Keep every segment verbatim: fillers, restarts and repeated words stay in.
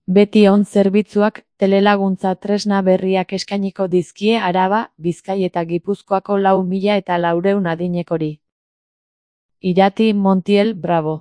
Betion zerbitzuak telelaguntza tresna berriak eskainiko dizkie Araba, Bizkai eta Gipuzkoako lau mila eta laurehun adinekori. Irati Montiel Bravo.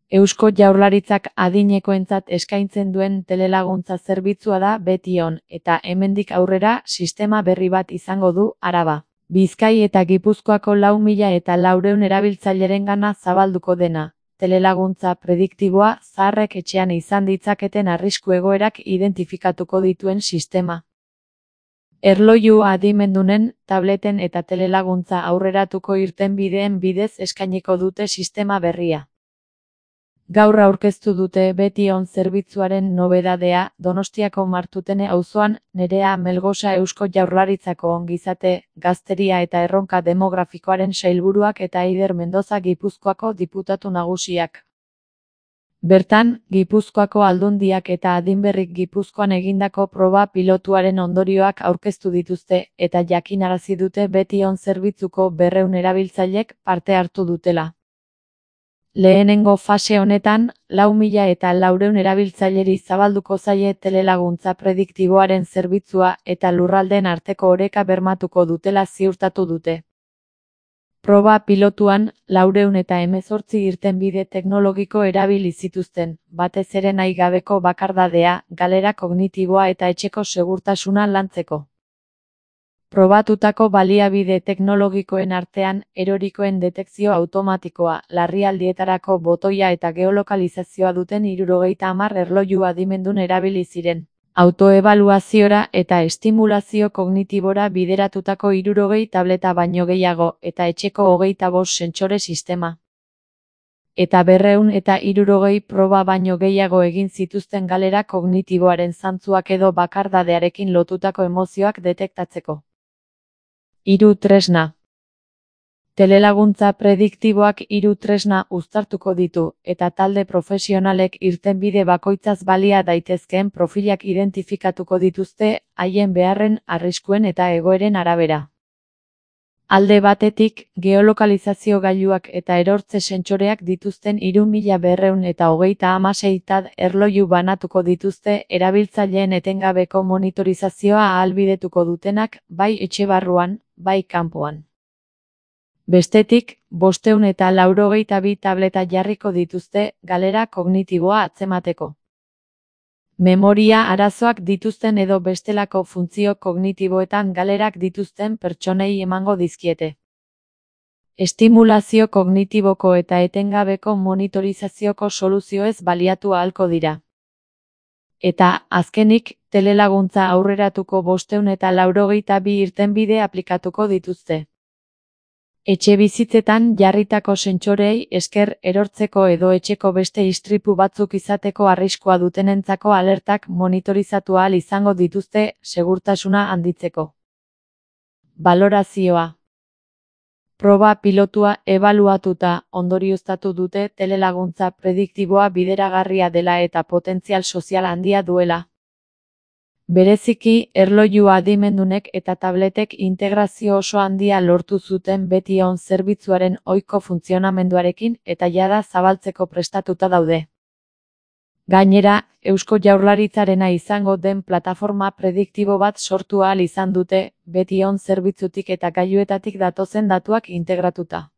Eusko Jaurlaritzak adinekoentzat eskaintzen duen telelaguntza zerbitzua da Betion, eta hemendik aurrera sistema berri bat izango du Araba, Bizkai eta Gipuzkoako lau mila eta laurehun erabiltzaileren zabalduko dena. Telelaguntza prediktiboa zaharrek etxean izan ditzaketen arrisku egoerak identifikatuko dituen sistema. Erloju adimendunen, tableten eta telelaguntza aurreratuko irtenbideen bidez eskainiko dute sistema berria. Gaur aurkeztu dute Betion zerbitzuaren nobedadea Donostiako Martutene auzoan Nerea Melgosa Eusko Jaurlaritzako ongizate, gazteria eta erronka demografikoaren sailburuak eta Eider Mendoza Gipuzkoako diputatu nagusiak. Bertan, Gipuzkoako aldundiak eta Adinberrik Gipuzkoan egindako proba pilotuaren ondorioak aurkeztu dituzte eta jakinarazi dute Betion zerbitzuko berrehun erabiltzailek parte hartu dutela. Lehenengo fase honetan, lau mila eta laurehun erabiltzaileri zabalduko zaie telelaguntza prediktiboaren zerbitzua eta lurraldeen arteko oreka bermatuko dutela ziurtatu dute. Proba pilotuan, laurehun eta hemezortzi irtenbide teknologiko erabili zituzten, batez ere nahi gabeko bakardadea, galera kognitiboa eta etxeko segurtasuna lantzeko. Probatutako baliabide teknologikoen artean, erorikoen detekzio automatikoa, larrialdietarako botoia eta geolokalizazioa duten hirurogeita hamar erloju adimendun erabili ziren. Autoebaluaziora eta estimulazio kognitibora bideratutako hirurogei tableta baino gehiago eta etxeko hogeita bost sentsore sistema. Eta berrehun eta hirurogei proba baino gehiago egin zituzten galera kognitiboaren zantzuak edo bakardadearekin lotutako emozioak detektatzeko. Hiru tresna. Telelaguntza prediktiboak hiru tresna uztartuko ditu, eta talde profesionalek irtenbide bakoitzaz balia daitezkeen profilak identifikatuko dituzte, haien beharren, arriskuen eta egoeren arabera. Alde batetik, geolokalizazio gailuak eta erortze sentsoreak dituzten hiru mila berrehun eta hogeita hamasei tad erloju banatuko dituzte erabiltzaileen etengabeko monitorizazioa ahalbidetuko dutenak, bai etxe barruan, bai kanpoan. Bestetik, bostehun eta laurogeita bi tableta jarriko dituzte galera kognitiboa atzemateko. Memoria arazoak dituzten edo bestelako funtzio kognitiboetan galerak dituzten pertsonei emango dizkiete. Estimulazio kognitiboko eta etengabeko monitorizazioko soluzioez baliatu ahalko dira. Eta, azkenik, telelaguntza aurreratuko bostehun eta laurogeita bi irtenbide aplikatuko dituzte. Etxe bizitzetan jarritako sentsorei esker erortzeko edo etxeko beste istripu batzuk izateko arriskua dutenentzako alertak monitorizatu ahal izango dituzte segurtasuna handitzeko. Balorazioa. Proba pilotua ebaluatuta ondorioztatu dute telelaguntza prediktiboa bideragarria dela eta potentzial sozial handia duela. Bereziki, erloju adimendunek eta tabletek integrazio oso handia lortu zuten Betion zerbitzuaren ohiko funtzionamenduarekin eta jada zabaltzeko prestatuta daude. Gainera, Eusko Jaurlaritzarena izango den plataforma prediktibo bat sortu ahal izan dute, Betion zerbitzutik eta gailuetatik datozen datuak integratuta.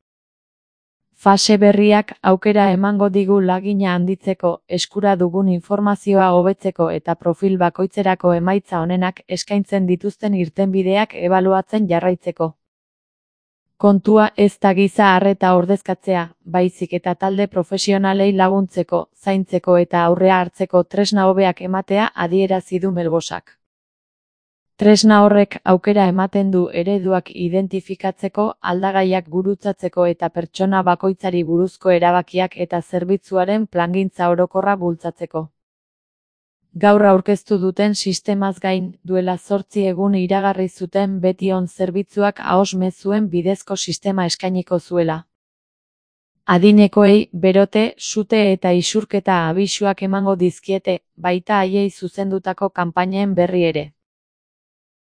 Fase berriak aukera emango digu lagina handitzeko, eskura dugun informazioa hobetzeko eta profil bakoitzerako emaitza onenak eskaintzen dituzten irtenbideak ebaluatzen jarraitzeko. Kontua ez da giza arreta ordezkatzea, baizik eta talde profesionalei laguntzeko, zaintzeko eta aurrea hartzeko tresna hobeak ematea adierazi du Melgosak. Tresna horrek aukera ematen du ereduak identifikatzeko, aldagaiak gurutzatzeko eta pertsona bakoitzari buruzko erabakiak eta zerbitzuaren plangintza orokorra bultzatzeko. Gaur aurkeztu duten sistemaz gain, duela zortzi egun iragarri zuten Betion zerbitzuak ahoz mezuen bidezko sistema eskainiko zuela. Adinekoei, berote, sute eta isurketa abisuak emango dizkiete, baita haiei zuzendutako kanpainen berri ere.